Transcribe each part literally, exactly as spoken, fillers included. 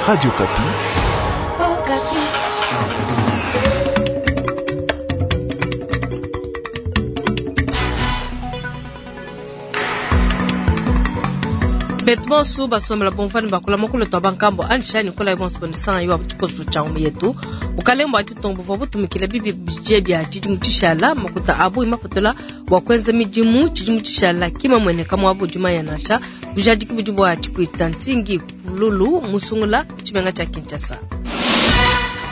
Radio Okapi. Oh, Okapi. Betu bonso basombela bomvani bakula mokolo twa bankambo anishani kola bonso bondisanga yo tshikoso tsha yetu bukalembo ati tombo buvua butumikila bibi bije bia tshidimu tshishala makuta abu imapatula bua kuenza midimu tshidimu tshishala kima mueneka muabu dimanya nansha bujadiki budi bua tshipuita ntingi pululu musungula tshimenga tshia Kinshasa.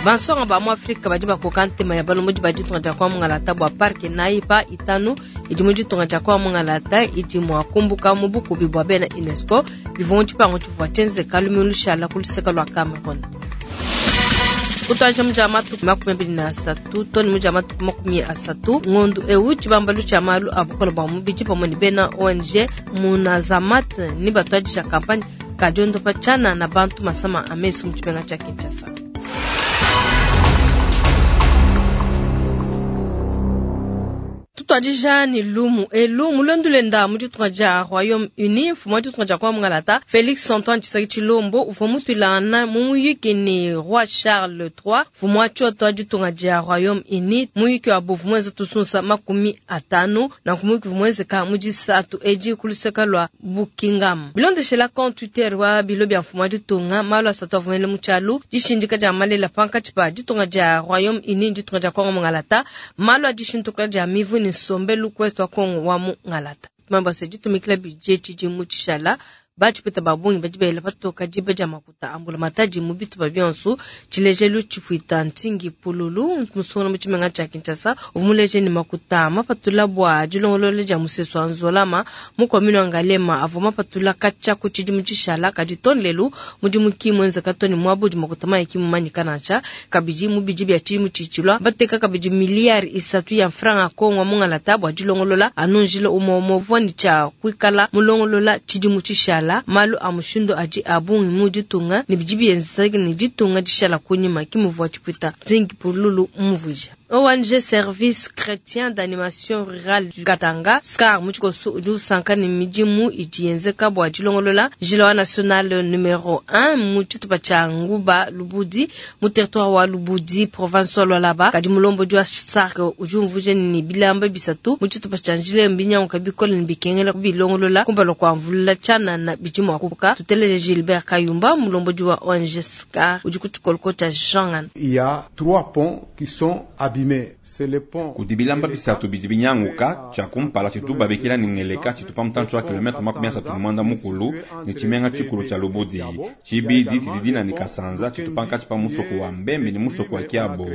Bansonga ba mu Afrika badi bakoka ntema ya balombodi ba ditunga dia kwa mungalata bua parke nayi pa itanu idi mu ditunga dia kwa mungalata idi mua kumbuka mu bukubi bua bena UNESCO bivua mu tshipangu tshivua tshienzeka lumingu lushala ku luseke lua Cameroun. Kutuadija mu dia matuku makumi abidi na asatu to ne mu dia matuku makumi asatu ngondu ewu tshibambalu tshia malu a bukole bua mubidi pamue ne bena O N G Munazamat ne batuadija kampanye ka diondopa tshianana bantu masama a mesu mu tshimenga tshia Kinshasa. Tutuadija ni lumu elu mulondu lenda mu ditunga dia Royaume-Uni mfumu wa ditunga dia kwa mungalata Felix Antoine Tshisekedi Tshilombo uvua mutuilangana mu muyuki ni Roi Charles trois mfumu wa tshioto wa ditunga dia Royaume-Uni muyuki wa buvu muenza tusunsa makumi atanu na kumuyuki muenzeka mu disatu edi ku luseke lua Buckingham bilondeshela compte Twitter wa bilo bia mfumu wa ditunga malu asatu avumele mu tshialu dishindika dia malela pankatshi pa ditunga dia Royaume-Uni ditunga dia Kongo mungalata malu a dishintukula dia mivu ni nsombelu kwetu wa Kongo wa mu ngalata mambo ase ditumikila bije tshidimu tshishala batshipeta ba bungi badi bela patoka diba dia makuta ambula matadi mu bitupa bionso tshilejelu tshipuita ntingi pululu musungula mu tshimenga tshia Kinshasa uvua muleje ne makuta mapatula bua dilongolola dia musesu wa Nzolama mu commune wa Ngaliema avua mapatula katshia ku tshidimu tshishala kadi to lelu mudimu ki muenzeka to ne muabu udi makuta mayi ki mumanyika nansha kabidi mu bidi bia tshidimu tshitshilua bateka kabidi miliyari isatu ya franga Kongo mu ngalata bua dilongolola anu njila umue umue uvua ne tshia kuikala mulongolola tshidimu tshishala malu a mushindu adi a bungi mu ditunga ne bidi bienzeka ne ditunga dishala kunyima ki muvua tshipuita nzingi pululu mumvuija. O N G Service Chrétien d'Animation Rurale du Katanga SCAR mu tshikoso udi usanka ne midimu idi yenzeka bua dilongolola njila wa national numero un mu tshitupa tshia Nguba Lubudi mu territoire wa Lubudi province wa Lualaba kadi mulombodi wa SARC udi umvuija ne bilamba bisatu mu tshitupa tshia njila mbinyanguka bikole ne bikengela kubilongolola kumpala kua mvula tshianana bidi mua kupuka. Tuteleje Gilbert Kayumba mulombodi wa O N G SCAR udi ku tshikoloko tshia Jean. Il y a trois ponts qui sont abîmés. C'est le pont Kudi bilamba bisatu bidi binyanguka tshia kumpala tshitu babikila ni ngeleka tshitu pa mutantshi wa kilomètre makumi asatu ne mwanda mukulu ne tshimenga tshikulu tshia Lubudi tshibidi tshididina ni Kasanza tshitu pankatshi pa musoko wa Mbembe ne musoko wa Kiabo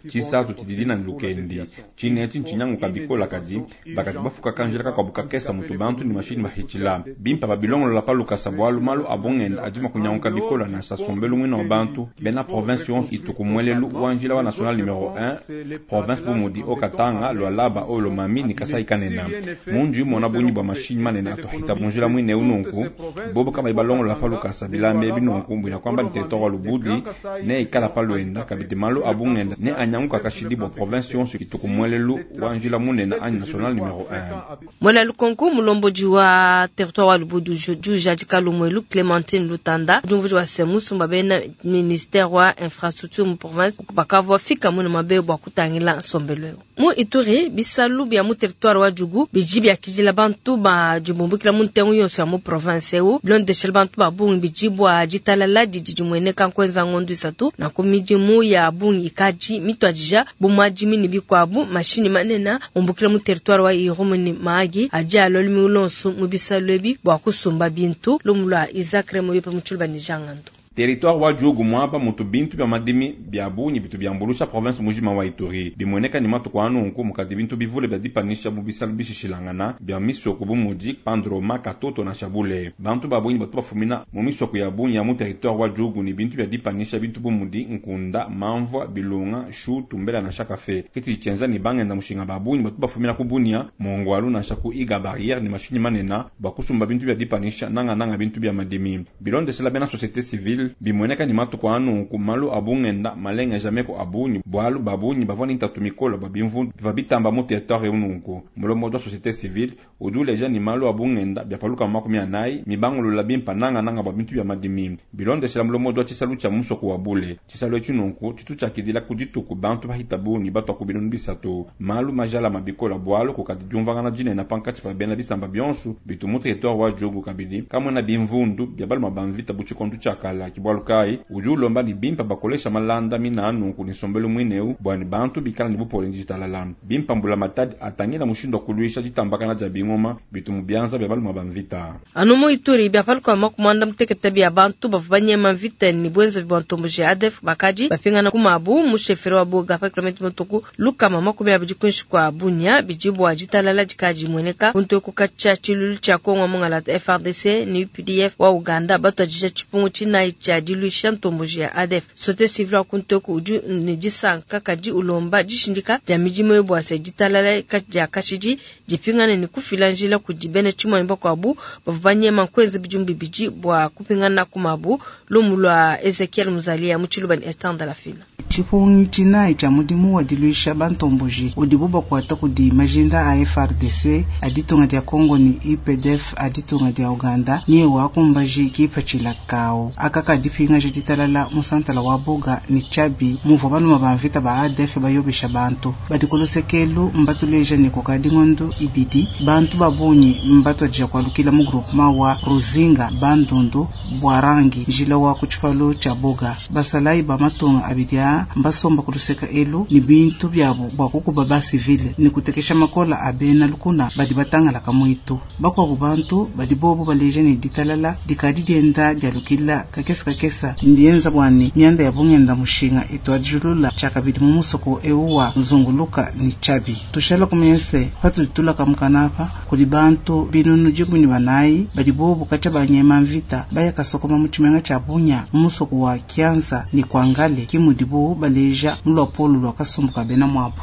tshisatu tshididina ni Lukendi tshine etshi ntshinyanguka bikola kadi bakati bafuka kanjila kakuabu kakesa mutu bantu ne mashini bahitshila bimpa babilongolola pa lukasa bwalu malu abongenda adi makunyanguka bikola nansha sombelu mwina wa bantu bena province yonso itu ku mwelelu wa njila wa national numero un province bu mudi Haut-Katanga Lualaba oyo Lomami ni Kasai kanena mundu imona bunyi bwa mashinyi manene atuhita bunjila mwine ununku bobo kama ibalongolola pa lukasa bilamba ebi nunku mbwina kwamba ni territoire wa Lubudi ne ikala pa lwenda kabidi malu abungenda ne anyanguka kashidi bwa province yonso itu ku mwelelu wa njila munene anyi national numero un. Mwela lukonko mulombodi wa territoire wa Lubudi udi ujadika lumwelu Clémentine Lutanda udi wa se musumba bena ministère wa infrastructure mu province bakavua fika muna mabe bua kutangila nsombelu eu mu Ituri bisalu bia mu territoire wa Djugu bidi biakidila bantu ba dibumbukila mu ntengu yonso ya mu province eu bilondeshela bantu ba bungi bidi bua ditalala didi dimueneka nkuenza ngondu isatu na ku midimu ya bungi ikadi mituadija bu madimi ne bikuabu mashini manene umbukila mu territoire wa Irumu ne Mahagi adi alua lumingu lonso mu bisalu ebi bua kusumba bintu lumu lua Isaac Remoyope mu tshiluba ne Jean Ngando. Territoire wa Djugu mwaba mutu bintu bya madimi bya bungi bitu byambulusha province mujima wa Ituri bimueneka ni matuku anunku mukadi bintu bivule bya dipanisha mu bisalu bishishilangana bya misoko bu mudi Pandroma Katoto na Shabule bantu ba bungi batu bafumina mu misoko ya bungi ya mu territoire wa Djugu ni bintu bya dipanisha bintu bu mudi nkunda mamvwa bilunga shu tumbela na shakafe kiti chenza ni bangenda mushinga ba bungi batu bafumina ku Bunia Mongwalu na shaku Iga barrière ni mashinyi manena bakusumba bintu bya dipanisha nanga nanga bintu bya madimi bilondeshela bena société civile civile. Bimueneka ne matuku a nunku malu a bungenda malengeja meku a bungi, bualu ba bungi bavua ne ntatu mikole bua bimvundu bivua bitamba mu territoire eu. Nunku mulombodi wa société civile udi uleja ne malu a bungenda bia pa lukama makumi anayi mibangulula bimpa nangananga bua bintu bia madimi. Bilondeshela mulombodi wa tshisalu tshia musoko wa Bule, tshisalu etshi nunku tshitu tshiakidila ku dituku bantu bahita bungi batua ku binunu bisatu. Malu majalama bikola bualu kukadi diumvangana dinene pankatshi pa bena bisamba bionso bitu mu territoire wa Djugu. Kabidi kamwena bimvundu bia baluma ba mvita bu tshikondo tshiakala. Ke bualu kayi udi ulomba ne bimpa bakolesha malanda mina nunku ne nsombelu muine eu bua ne bantu bikala ne bupole ne ditalala. Bimpa mbula matadi atangila mushindu wa kuluisha ditambakana dia bingoma bitu mu bianza bia baluma ba mvita. Anu mu Ituri bia paluka makumanda mutekete bia bantu bavua banyema mvita ne bwenza bwa ntomboji A D F bakadi bapingana ku mabu mu chefferie wa Boga pa kilomètre motoku lukama makumi abidi kuinshi kwa Bunia. Bidi bua ditalala dikadi mueneka kuntu katshia tshiluilu tshia Kongo mungalata F A R D C ne U P D F wa Uganda batuadija tshipungu tshinayi tshia diluisha ntomboji ya A D F. Société civile wa kuntu udi ne disanka kadi ulomba dishindika dia midimu bua se ditalala dia kashidi dipingane ne kufila njila kudi bena tshimonyi bakuabu bavua banyema nkuenza bidimu bibidi bua kupingana ku mabu. Lumu lua Ezekiel Muzalia mu Tshiluba ne Esther Ndalafina. Tshipungi tshinayi tshia mudimu wa diluisha bantomboji udibu bakuata kudi majinda a F A R D C a ditunga dia Congo ne U P D F a ditunga dia Uganda nye wakumbaji kipatshila kawu aka kadipingaja ditalala mu santala wa Boga ne Tshabi muvua baluma ba mvita ba A D F bayobesha bantu badi ku lusekelu. Mbatuleja ne kukadi ngondo ibidi bantu ba bungi mbatuadija kualukila mu groupement wa Ruzinga, Bandundu, Bwarangi, njila wa ku tshipalu tshia Boga. Basalayi ba matunga abidi a mbasomba ku luseka elu ne bintu biabu bua kukuba basivile ne kutekesha makola a bena lukuna badi batangalaka muitu. Bakuabu bantu badi bobu baleja ne ditalala dikadi dienda dialukila kakesa kakesa, ndienza bua ne mianda ya bungenda mushinga ituadijulula tshiakabidi mu musoko eu wa nzunguluka ne Tshabi. Tushala kumanya se patudi tulaka mukanapa kudi bantu binunu dikumi ne banayi badi bobu katshia banyema mvita baya kasokoma mu tshimenga tshia Bunya mu musoko wa Kianza ne Kwangale, ke mudibu baleja mu luapolo lua kasumbu ka bena muabu.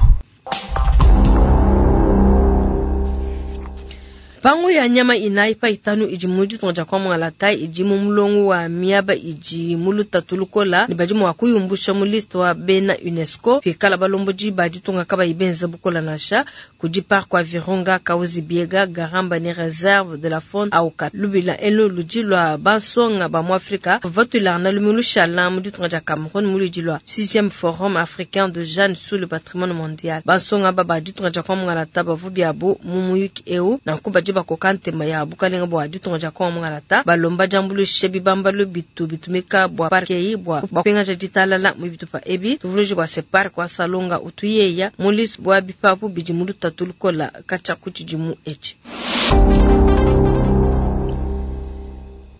Mpangu ya nyama inayi pa itanu idi mu ditunga dia Kwamwalata idi mu mulongo wa miaba idi mu lutatu lukola ne badi mua kuyumbusha mu liste wa bena UNESCO pikala balombodi ba ditunga kabayi benza bukola nansha. Kudi parc wa Virunga, Kahuzi Biega, Garamba ne réserve de la faune Auka. Lubila elu ludi lua bansonga ba mu Afrika vatulana lumu lushala mu ditunga dia Cameroun mu ludi lua sixième forum africain de jeunes sur le patrimoine mondial. Bansonga ba ba ditunga dia Kwamwalata bavu biabu mu muyuki eu nanku badi bakoka ntema ya bukalenga bua ditunga dia Kongo mungalata, balomba diambuluisha bibambalu bitu bitumika bua parc eyi bua bapengaja ditalala mu bitupa ebi. Tuvuluije bua se parc wa Salonga utuyeya mu liste bua bipapu bidi mu lutatu lukola katshia ku tshidimu etshi.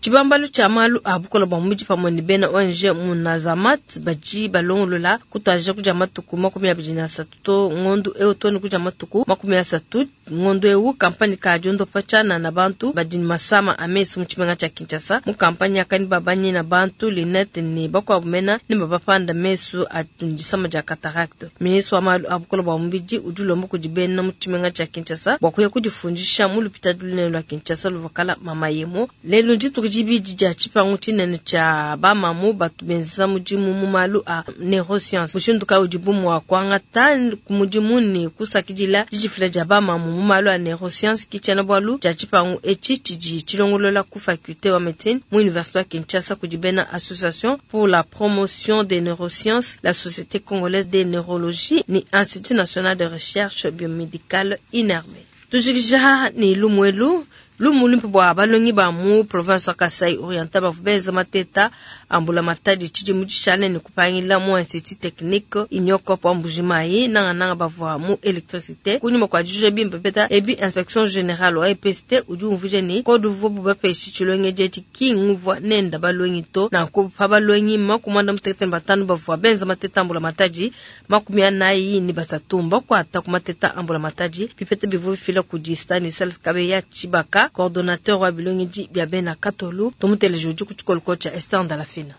Tshibambalu tshia malu a bukola bua mubidi pamue ne bena O N G Munazamat badi balongolola kutuadija kudia matuku makumi abidi na asatu to ngondu eu to ne kudia matuku makumi asatu ngondu eu campagne ka diondopa tshianana bantu badi ne masama a mesu mu tshimenga tshia Kinshasa. Mu campagne yakani babanyi na bantu lunettes ne bakuabu mena ne babapanda mesu a disama dia cataracte. Ministre wa malu a bukola bua mubidi udi ulomba kudi bena mu tshimenga tshia Kinshasa bua kuya kudifundisha mu lupitadi lunene lua Kinshasa luvua Mama Yemo. Lelu ndituku dibidi dia tshipangu tshinene tshia bamamu batu benza mudimu mu malu a neuroscience. Mushindu kayi udibu mua kuangata ku mudimu ne kusakidila didifila dia bamamu mu malu a neuroscience ke tshiena-bualu tshia tshipangu etshi tshidi tshilongolola ku faculté wa médecine mu université wa Kinshasa kudi bena Association pour la promotion des neurosciences, la Société congolaise de neurologie ne Institut national de recherche biomédicale I N R B. Tujikija ne lumu elu, lumu luimpe bua balongi ba mu province wa Kasai Oriental bavua benza mateta ambula matadi tshidimu tshishale ne kupangila mu institut technique Uniokop wa Mbujimayi, nangananga bavua mu électricité. Kunyima kua dijuja bimpe bipeta ebi, inspection générale wa E P S T udi umvuija ne code uvuabu bapeshe tshilongedi etshi ki nguvua nenda balongi to. Nanku pa balongi makumi muanda mutekete ne batanu bavua benza mateta ambula matadi, makumi anayi ne basatu mbakuata ku mateta ambula matadi. Bipeta bivua bifila kudi Stanislas Kabeya Tshibaka, coordonnateur wa bilongedi bia bena Katolu. Tumuteleje, udi ku tshikoloko tshia Esther Ndalafina.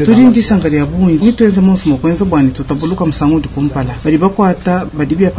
Tudi ndisanka dia bungi nituenze monso mukwenza bwani tutabuluka musangu udi kumpala badi bakwata badi bya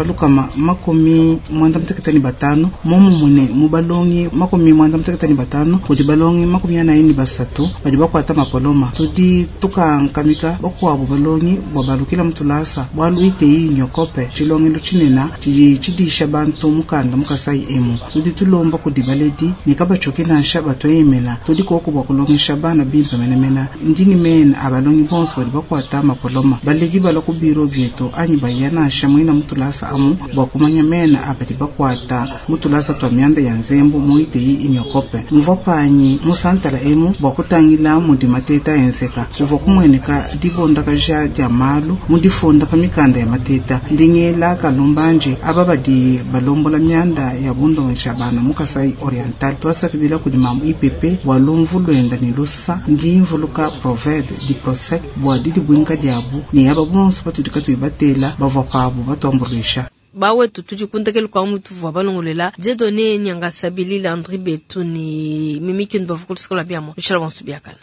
makumi mwanda mutekete ne batano momumune mu balongi makumi mwanda mutekete ne batano kudi balongi makumi anayi ne basatu badi bakwata mapoloma tudi tukankamika bakuabu balongi bwa balukila mutulasa bwalu iteyi nyokope tshilongelo tshinena tshidi tshidisha bantu mukanda mukasai emu tudi tulomba kudi baledi ne kabachoke nansha batoyemela tudi koko bwa kulongesha bana bimpe menemena ndini mena abalongi bonso badi bakwata mapoloma baledi bala ku biro byetu anyi baya nansha mwina mutulasa amu bwa kumanya mena abadi bakwata mutulasa twa myanda ya nzembu muiteyi inyokope mvua panyi musantala emu bwa kutangila mudi mateta enzeka kuvua kumweneka dibondakaja dia malu mudifunda pa mikanda ya mateta ndingela kalumbanje aba badi balombola myanda ya bundongesha bana mukasai oriental twasakidila kudi mamu ipepe bwa lumvu lwenda ni lusa ndi mvuluka proverbe di prosec bwa didi bwinka diabu ne aba bonso batudi katuyi batela bavua pabu batuambuluisha bawetu tudi kundekelu kwa mutu vua balongolela Dieudonné Nyanga Sabili Landry Betu ni Mimi Kindu bavua kulusikola biamo bishala bonso biakana.